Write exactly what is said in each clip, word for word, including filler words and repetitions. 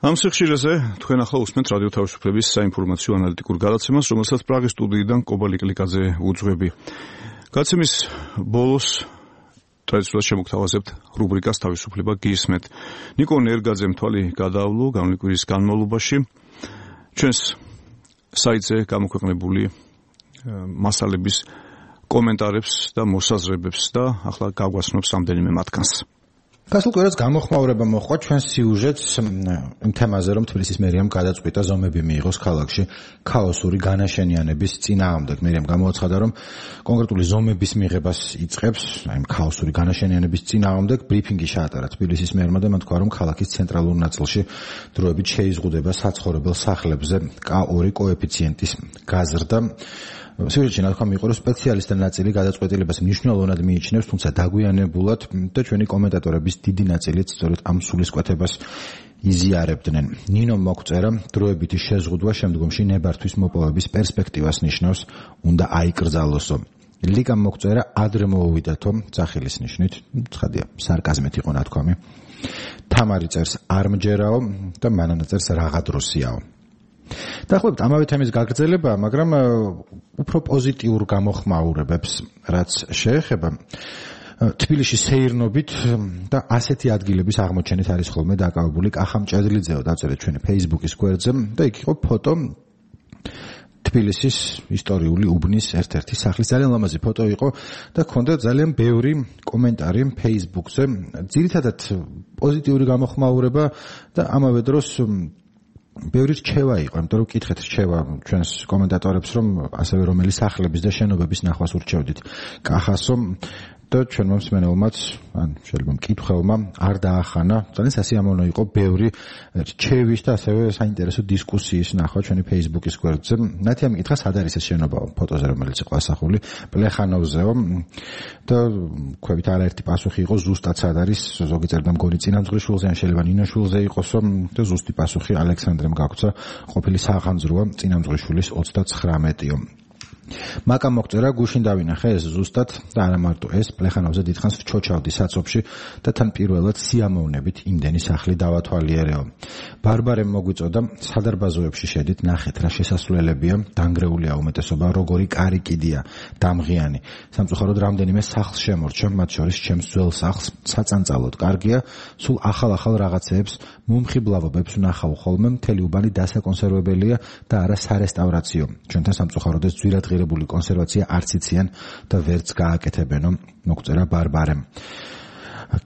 ამ სიხშირეზე თქვენ ახლა უსმენთ რადიო თავისუფლების საინფორმაციო ანალიტიკურ გადაცემას, რომელსაც პრაღის სტუდიიდან კობა ლიკლიკაძე უძღვები. გადაცემის ბოლოს ტრადიციულად შემოგთავაზებთ რუბრიკას თავისუფლება გისმენთ. ნიკო ნერგაძემ თვალი გადაავლო გამოვლის კვირის განმავლობაში ჩვენს საიტზე გამოქვეყნებული მასალების კომენტარებს და მოსაზრებებს და ახლა გავგვასწრებს რამდენიმე მათგანს. გასულ კვირას გამოხმაურება მოხდა ჩვენს სიუჟეტს იმ თემაზე, რომ თბილისის მერიამ გადაწყვიტა ზომები მიიღოს ქალაქში ქაოსური განაშენიანების წინააღმდეგ. მერიამ გამოაცხადა, რომ კონკრეტული ზომების მიღებას იწყებს, აი ამ ქაოსური განაშენიანების წინააღმდეგ ბრიფინგი ჩაატარა თბილისის მერმა და მან თქვა, რომ ქალაქის ცენტრალურ ნაწილში დროებით შეიზღუდება საცხოვრებელ სახლებზე კა ორი კოეფიციენტის გაზრდა. სიუჟეტში ნათქვამი იყო, რომ სპეციალისტთა ნაწილი გადაწყვეტილებას მნიშვნელოვნად მიიჩნევს, თუმცა დაგვიანებულად და ჩვენი კომენტატორების დიდი ნაწილიც სწორედ ამ სულისკვეთებას იზიარებდნენ. ნინომ მოგწერა, დროებითი შეზღუდვა შემდგომში ნებართვის მოპოვების პერსპექტივას ნიშნავს, უნდა აიკრძალოსო. ლიკამ მოგწერა, ადრე მოუვიდათო, ძახილის ნიშნით, ცხადია, სარკაზმით იყო ნათქვამი. თამარი წერს, არ მჯერაო და მანანა წერს, რაღა დროსიაო. დაახლოებით ამავე თემის გაგრძელება, მაგრამ უფრო პოზიტიურ გამოხმაურებებს, რაც შეეხება თბილისში სეირნობით და ასეთი ადგილების აღმოჩენით არის ხოლმე დაკავებული კახა მჭედლიძეო, დაწერეთ ჩვენი Facebook-ის გვერდზე და იქ იყო ფოტო თბილისის ისტორიული უბნის ერთ-ერთი სახლის. ძალიან ლამაზი ფოტო იყო და ჰქონდა ძალიან ბევრი კომენტარი Facebook-ზე, ძირითადად პოზიტიური გამოხმაურება და ამავე დროს ბევრი რჩევა იყო, იმიტომ რომ ვკითხეთ რჩევა ჩვენს კომენტატორებს, რომ ასევე რომელი სახლების და შენობების ნახვას ურჩევდით კახასო და ჩვენმა მსმენელმაც, ან შეიძლება მკითხველმა არ დაახანა. ძალიან სასიამოვნო იყო ბევრი რჩევის და ასევე საინტერესო დისკუსიის ნახვა ჩვენი Facebook-ის გვერდზე. ნათი ამიკითხა, სად არის ეს შენობა ფოტოზე, რომელიც იყო ასახული პლეხანოვზეო და ქვევით არაერთი პასუხი იყო, ზუსტად სად არის, ზოგი წერდა მგონი წინამძღვრიშვილზე, ან შეიძლება ნინაშვილზე იყოსო და ზუსტი პასუხი ალექსანდრემ გაგცა, ყოფილი სახანძროა წინამძღვრიშვილის ოცდაცხრამეტიო. მაკამ მოგწერა, გუშინ დავინახე ეს ზუსტად და არა მარტო ეს, პლეხანოვზე დიდხანს ვჩოჩავდი საცობში და თან პირველად სიამოვნებით იმდენი სახლი დავათვალიერეო. ბარბარემ მოგვიწოდა, სადარბაზოებში შედით, ნახეთ რა შესასვლელებია, დანგრეულია უმეტესობა, როგორი კარი კიდია, დამღიანი. სამწუხაროდ რამდენიმე სახლს შემორჩა, მათ შორის ჩემს ძველ სახლს, საწანწალოდ კარგია, სულ ახალ-ახალ რაღაცეებს, მომხიბლავობებს ვნახავ ხოლმე, მთელი უბანი დასაკონსერვებელია და არა სარესტავრაციო. ჩვენთან სამწუხაროდ ეს ძვირად ღირებული კონსერვაცია არც იციან და ვერც გააკეთებენო, მოგწერა ბარბარემ.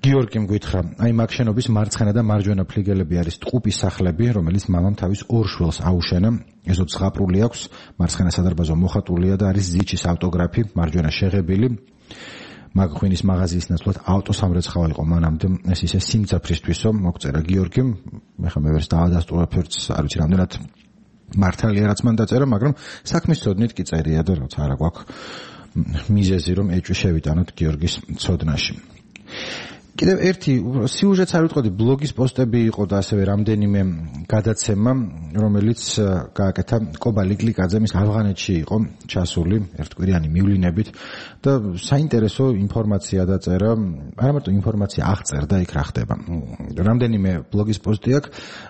გიორგიმ გითხრა, აი მაგ შენობის მარცხენა და მარჯვენა ფლიგელები არის ტყუპის სახლები, რომელიც მამამ თავის ორ შვილს აუშენა. ესო ზღაპრული აქვს, მარცხენა სადარბაზო მოხატულია და არის ზიჩის ავტოგრაფი, მარჯვენა შეღებილი. მაგ ღვინის მაღაზიის ნაცვლად ავტოსამრეცხაო იყო მანამდე, ეს ისე სიმძაფრისთვისო, მოგწერა გიორგიმ. ეხლა მე ვერც დავადასტურებთ, არ ვიცი რამდენად მართალია რაც მან დაწერა, მაგრამ საქმის ცოდნით კი წერია და რაც არა გვაქვს მიზეზი, რომ ეჭვი შევიტანოთ გიორგის ცოდნაში. კიდევ ერთი სიუჟეტს არ ვიტყოდი, ბლოგის პოსტები იყო და ასევე რამდენიმე გადაცემა, რომელიც გააკეთა კობა ლიკლიკაძემ, ის ავღანეთში იყო ჩასული ერთკვირიანი მივლინებით და საინტერესო ინფორმაცია დაწერა, არა მარტო ინფორმაცია აღწერდა იქ რა ხდება. რამდენიმე ბლოგის პოსტი აქვს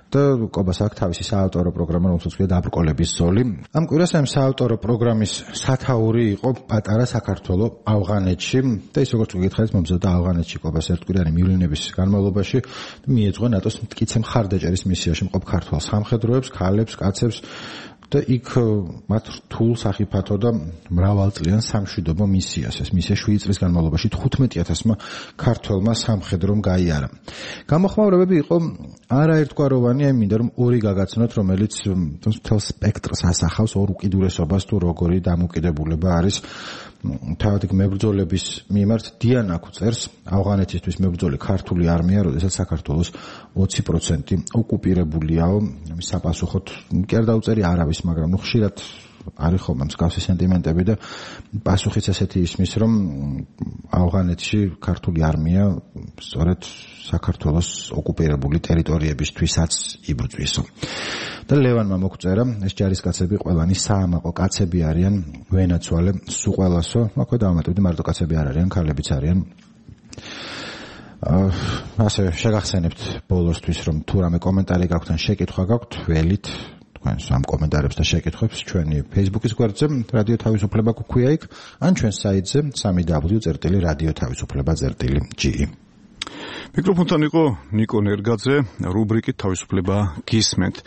და კობას აქვს თავისი საავტორო პროგრამა, რომელსაც ქვია დაბრკოლების ზოლი. ამ კვირას ამ საავტორო პროგრამის სათაური იყო პატარა საქართველო ავღანეთში და ის როგორც გითხარით, მომზადდა ავღანეთში კობას ერთკვირიანი მივლინების განმავლობაში მიეძღვნა ნატოს მტკიცე მხარდაჭერის მისიაში მყოფ ქართველ სამხედროებს, ქალებს, კაცებს და იქ მათ რთულ სახიფათო და მრავალწლიან სამშვიდობო მისიას. ეს მისია შვიდი წლის განმავლობაში თხუთმეტი ათასმა ქართველმა სამხედრომ გაიარა. გამოხმაურებები იყო არაერთგვაროვანი, აი მინდა რომ ორი გაგაცნოთ, რომელიც მთელ სპექტრს ასახავს, ორ უკიდურესობას თუ როგორი დამოკიდებულება არის თავად მებრძოლების მიმართ. დიანაკუ წერს, ავღანეთისთვის მებრძოლი ქართული არმია, როდესაც საქართველოს ოცი პროცენტი ოკუპირებულიაო, ამის საპასუხოდ კი არ დაუწერი არავის, მაგრამ ნუ ხშირად არის ხოლმე მსგავსი სენტიმენტები და პასუხიც ესეთი ისმის, რომ ავღანეთში ქართული არმია სწორედ საქართველოს ოკუპირებული ტერიტორიებისთვისაც იბრძვისო. და ლევანმა მოგწერა, ეს ჯარისკაცები ყველანი საამაყო კაცები არიან, ვენაცვალე სულ ყველასო, აქვე დავამატებდი, მარტო კაცები არ არიან, ქალებიც არიან. ასე შეგახსენებთ ბოლოსთვის, რომ თუ რამე კომენტარი გაქვთ ან შეკითხვა გაქვთ, ველით თქვენს ამ კომენტარებს და შეკითხვებს ჩვენი Facebook-ის გვერდზე რადიო თავისუფლება გვქვია იქ, ან ჩვენ საიტზე სამი დაბლიუ წერტილი რადიო თავისუფლება წერტილი ჯი ი. მიკროფონთან იყო ნიკო ნერგაძე, რუბრიკით თავისუფლება გისმენთ.